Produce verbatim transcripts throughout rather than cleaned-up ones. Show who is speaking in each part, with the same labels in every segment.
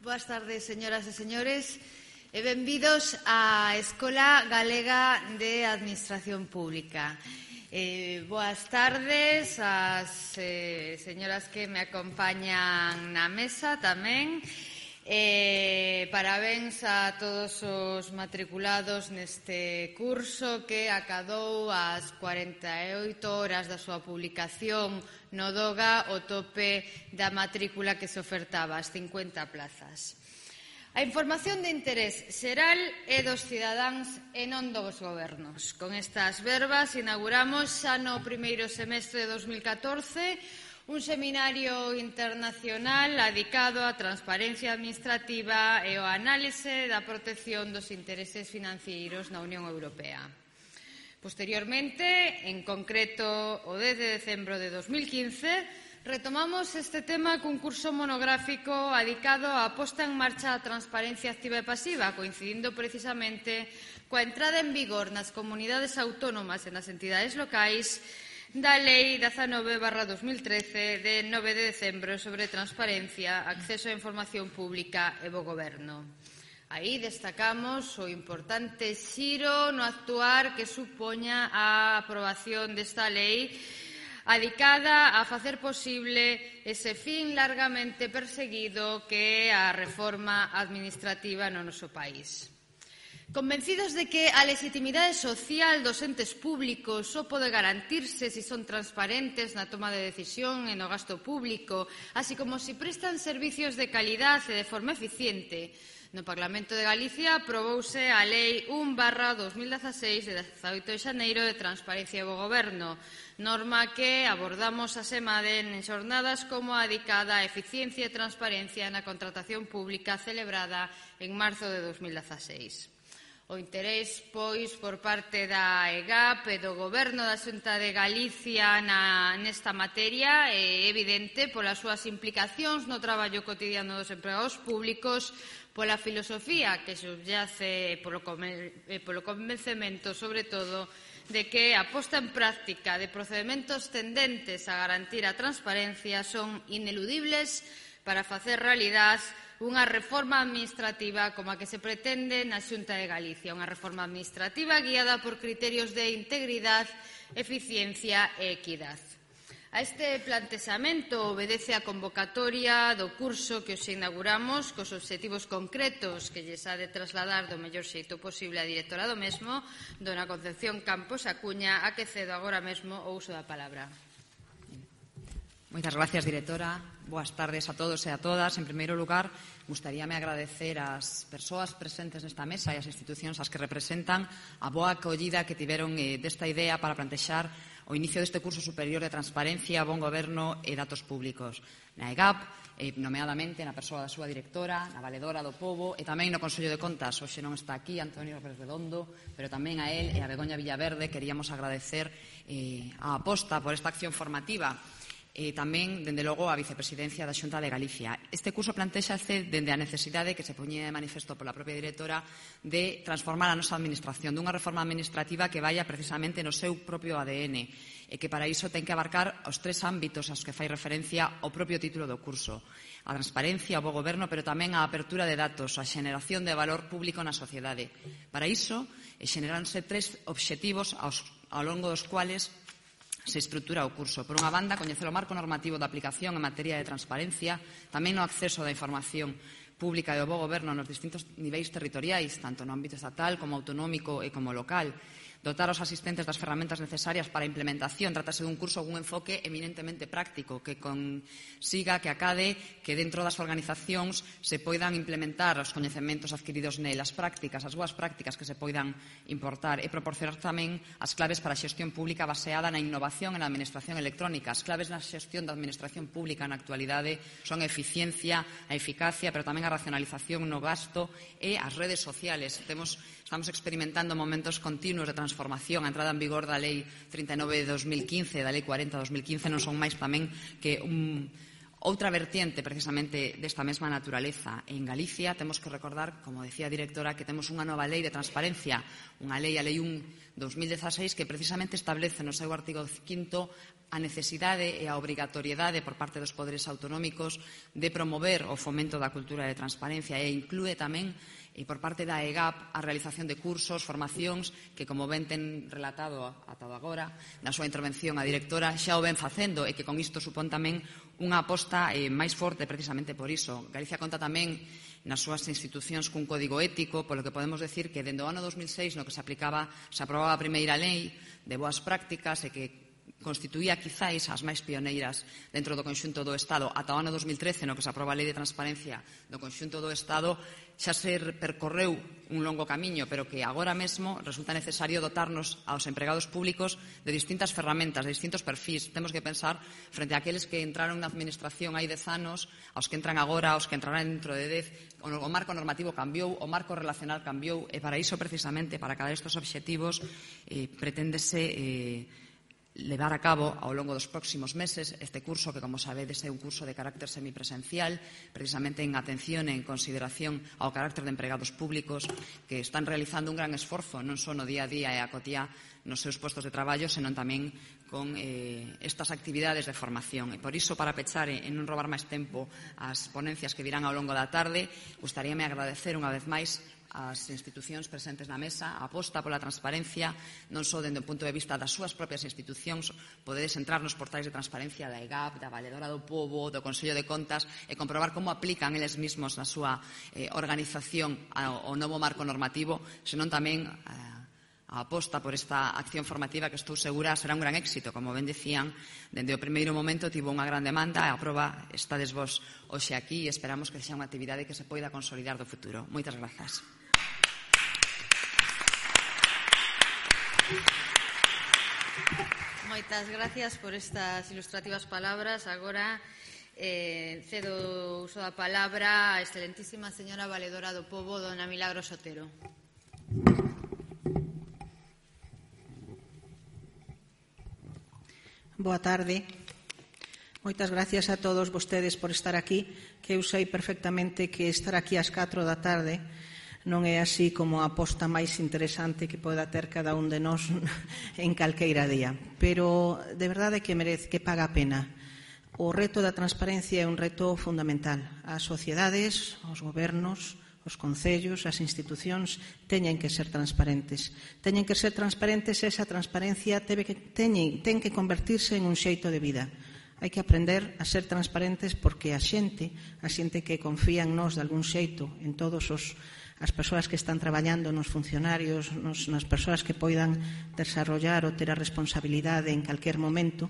Speaker 1: Boas tardes, señoras e señores, e benvidos á Escola Galega de Administración Pública. Eh, boas tardes ás eh, señoras que me acompañan na mesa tamén. Eh, parabéns a todos os matriculados neste curso que acadou as cuarenta e oito horas da súa publicación no DOGA o tope da matrícula que se ofertaba, as cincuenta plazas. A información de interés xeral é dos cidadáns e non dos gobernos. Con estas verbas inauguramos xa no primeiro semestre de dos mil catorce un seminario internacional dedicado á transparencia administrativa e ao análise da protección dos intereses financeiros na Unión Europea. Posteriormente, en concreto o dez de decembro de dos mil quince, retomamos este tema cun curso monográfico dedicado á posta en marcha da transparencia activa e pasiva, coincidindo precisamente coa entrada en vigor nas comunidades autónomas e nas entidades locais da Lei dezanove barra dos mil trece de nove de decembro sobre transparencia, acceso á información pública e bo goberno. Aí destacamos o importante xiro no actuar que supoña a aprobación desta lei adicada a facer posible ese fin largamente perseguido que é a reforma administrativa no noso país. Convencidos de que a legitimidade social dos entes públicos só pode garantirse se son transparentes na toma de decisión e no gasto público, así como se prestan servicios de calidade e de forma eficiente, no Parlamento de Galicia aprobouse a Lei un barra dos mil dezaseis de dezaoito de xaneiro de Transparencia e Bo Goberno, norma que abordamos a semade en xornadas como a dedicada a eficiencia e transparencia na contratación pública celebrada en marzo de dos mil dezaseis. O interés, pois, por parte da E G A P e do Goberno da Xunta de Galicia na, nesta materia é evidente polas súas implicacións no traballo cotidiano dos empregados públicos, pola filosofía que subyace e polo, polo convencemento, sobre todo, de que a posta en práctica de procedementos tendentes a garantir a transparencia son ineludibles para facer realidade unha reforma administrativa como a que se pretende na Xunta de Galicia, unha reforma administrativa guiada por criterios de integridade, eficiencia e equidade. A este plantexamento obedece a convocatoria do curso que hoxe inauguramos cos obxectivos concretos que lles ha de trasladar do mellor xeito posible a directora do mesmo, dona Concepción Campos Acuña, a que cedo agora mesmo o uso da palabra.
Speaker 2: Moitas gracias, directora. Boas tardes a todos e a todas. En primeiro lugar, gustaríame agradecer ás persoas presentes nesta mesa e ás institucións ás que representan a boa acollida que tiveron eh, desta idea para plantexar o inicio deste curso superior de transparencia, bon goberno e datos públicos. Na E G A P, eh, nomeadamente na persoa da súa directora, na valedora do pobo e tamén no Consello de Contas. Hoxe non está aquí Antonio Pérez Redondo, pero tamén a él e a Begoña Villaverde queríamos agradecer eh, a aposta por esta acción formativa. E tamén, dende logo, a vicepresidencia da Xunta de Galicia. Este curso plantexase dende a necesidade que se poñía de manifesto pola propia directora de transformar a nosa administración, dunha reforma administrativa que vaya precisamente no seu propio A D N e que para iso ten que abarcar os tres ámbitos aos que fai referencia o propio título do curso: a transparencia, o bo goberno, pero tamén a apertura de datos, a xeneración de valor público na sociedade. Para iso, xeneranse tres obxectivos aos, ao longo dos cuales se estrutura o curso. Por unha banda, coñecer o marco normativo da aplicación en materia de transparencia, tamén no acceso da información pública e o bo goberno nos distintos niveis territoriais, tanto no ámbito estatal como autonómico e como local. Dotar os asistentes das ferramentas necesarias para a implementación. Trátase dun curso con un enfoque eminentemente práctico que consiga que acade que dentro das organizacións se poidan implementar os coñecementos adquiridos nelas prácticas, as boas prácticas que se poidan importar e proporcionar tamén as claves para a xestión pública baseada na innovación e na administración electrónica. As claves na xestión da administración pública na actualidade son a eficiencia, a eficacia, pero tamén a racionalización no gasto e as redes sociales. Temos, estamos experimentando momentos continuos de transformación. A entrada en vigor da Lei trinta e nove de dos mil quince e da Lei cuarenta de dos mil quince non son máis tamén que un, Outra vertiente, precisamente, desta mesma naturaleza en Galicia, temos que recordar, como decía a directora, que temos unha nova lei de transparencia, unha lei, a Lei un dos mil dezaseis, que precisamente establece no seu artigo quinto a necesidade e a obrigatoriedade por parte dos poderes autonómicos de promover o fomento da cultura de transparencia e inclúe tamén e por parte da E G A P a realización de cursos, formacións que, como ben ten relatado ata agora na súa intervención a directora, xa o ven facendo e que con isto supón tamén unha aposta eh, máis forte precisamente por iso. Galicia conta tamén nas súas institucións cun código ético, polo que podemos decir que dende o ano dos mil seis no que se aplicaba, se aprobaba a primeira lei de boas prácticas e que constituía quizáis as máis pioneiras dentro do conxunto do Estado ata o ano dos mil trece no que se aproba a Lei de Transparencia do conxunto do Estado, xa se percorreu un longo camiño, pero que agora mesmo resulta necesario dotarnos aos empregados públicos de distintas ferramentas, de distintos perfis. Temos que pensar frente a aqueles que entraron na administración hai dez anos, aos que entran agora, aos que entrarán dentro de dez. O marco normativo cambiou, o marco relacional cambiou, e para iso, precisamente, para cada destes obxectivos, eh, preténdese eh, levar a cabo ao longo dos próximos meses este curso que, como sabedes, é un curso de carácter semipresencial, precisamente en atención e en consideración ao carácter de empregados públicos que están realizando un gran esforzo non só no día a día e a cotía nos seus postos de traballo, senón tamén con eh, estas actividades de formación. E por iso, para pechar e non robar máis tempo as ponencias que virán ao longo da tarde, gustaríame agradecer unha vez máis as institucións presentes na mesa, a aposta pola transparencia, non só dende o punto de vista das súas propias institucións. Podedes entrar nos portais de transparencia da E G A P, da Valedora do Pobo, do Consello de Contas, e comprobar como aplican eles mesmos na súa eh, organización ao, ao novo marco normativo, senón tamén eh, a aposta por esta acción formativa que estou segura será un gran éxito. Como ben decían, dende o primeiro momento tivo unha gran demanda e a proba estades vos hoxe aquí e esperamos que sea unha actividade que se poida consolidar do futuro. Moitas grazas.
Speaker 1: Moitas gracias por estas ilustrativas palabras. Agora eh, cedo o uso da palabra a excelentísima señora Valedora do Pobo, dona Milagros Otero.
Speaker 3: Boa tarde. Moitas gracias a todos vostedes por estar aquí, que eu sei perfectamente que estar aquí ás catro da tarde non é así como a aposta máis interesante que poda ter cada un de nós en calqueira día. Pero de verdade que merece, que paga a pena. O reto da transparencia é un reto fundamental. As sociedades, os gobernos, os concellos, as institucións teñen que ser transparentes. Teñen que ser transparentes e esa transparencia teve que, teñen, ten que convertirse en un xeito de vida. Hai que aprender a ser transparentes porque a xente, a xente que confía en nós de algún xeito, en todos os as persoas que están traballando, nos funcionarios, nos, nas persoas que poidan desarrollar ou ter a responsabilidade en calquer momento,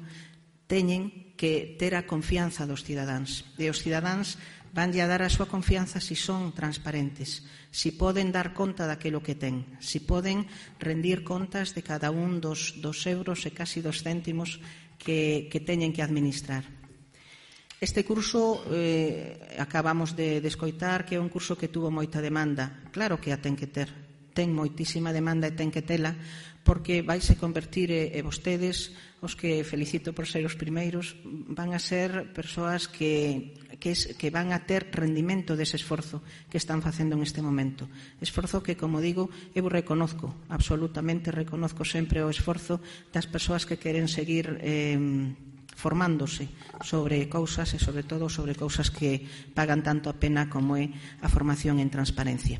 Speaker 3: teñen que ter a confianza dos cidadáns. E os cidadáns vanlle a dar a súa confianza si son transparentes, si poden dar conta daquilo que ten, si poden rendir contas de cada un dos, dos euros e casi dos céntimos que, que teñen que administrar. Este curso eh, acabamos de, de escoitar que é un curso que tuvo moita demanda. Claro que a ten que ter. Ten moitísima demanda e ten que tela porque vaise convertir, e, e vostedes, os que felicito por ser os primeiros, van a ser persoas que, que, es, que van a ter rendimento dese esforzo que están facendo en este momento. Esforzo que, como digo, eu reconozco, absolutamente reconozco sempre o esforzo das persoas que queren seguir eh, formándose sobre cousas e, sobre todo, sobre cousas que pagan tanto a pena como é a formación en transparencia.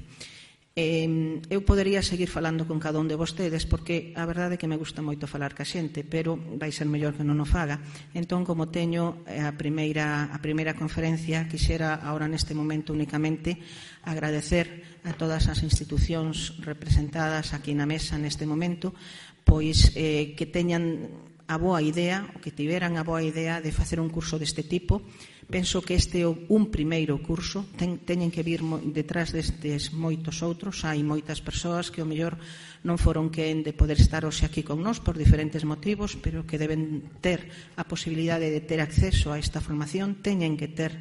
Speaker 3: Eh, eu podería seguir falando con cada un de vostedes porque a verdade é que me gusta moito falar ca xente, pero vai ser mellor que non o faga. Entón, como teño a primeira, a primeira conferencia, quixera agora neste momento únicamente agradecer a todas as institucións representadas aquí na mesa neste momento, pois eh, que teñan a boa idea, o que tiveran a boa idea de facer un curso deste tipo. Penso que este é un primeiro curso, ten, teñen que vir detrás destes moitos outros. Hai moitas persoas que o mellor non foron quen de poder estar hoxe aquí con nós por diferentes motivos, pero que deben ter a posibilidade de ter acceso a esta formación, teñen que ter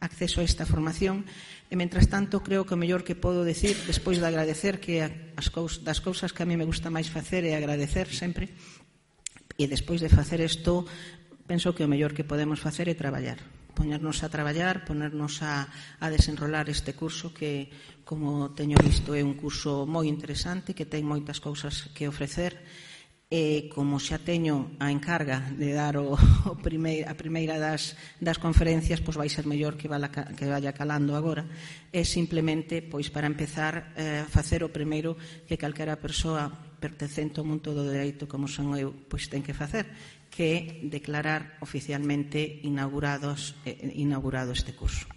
Speaker 3: acceso a esta formación. E, mentras tanto, creo que o mellor que podo decir, despois de agradecer, que as cousas, das cousas que a mí me gusta máis facer é agradecer sempre, e despois de facer isto, penso que o mellor que podemos facer é traballar. poñernos a traballar, ponernos a, a desenrolar este curso que, como teño visto, é un curso moi interesante, que ten moitas cousas que ofrecer, e como xa teño a encarga de dar o, o primeir, a primeira das, das conferencias, pois vai ser mellor que, vala, que vaya calando agora, e simplemente, pois para empezar, eh, facer o primeiro que calquera persoa pertencente ao mundo do dereito como son eu, pois ten que facer, que é declarar oficialmente inaugurados, eh, inaugurado este curso.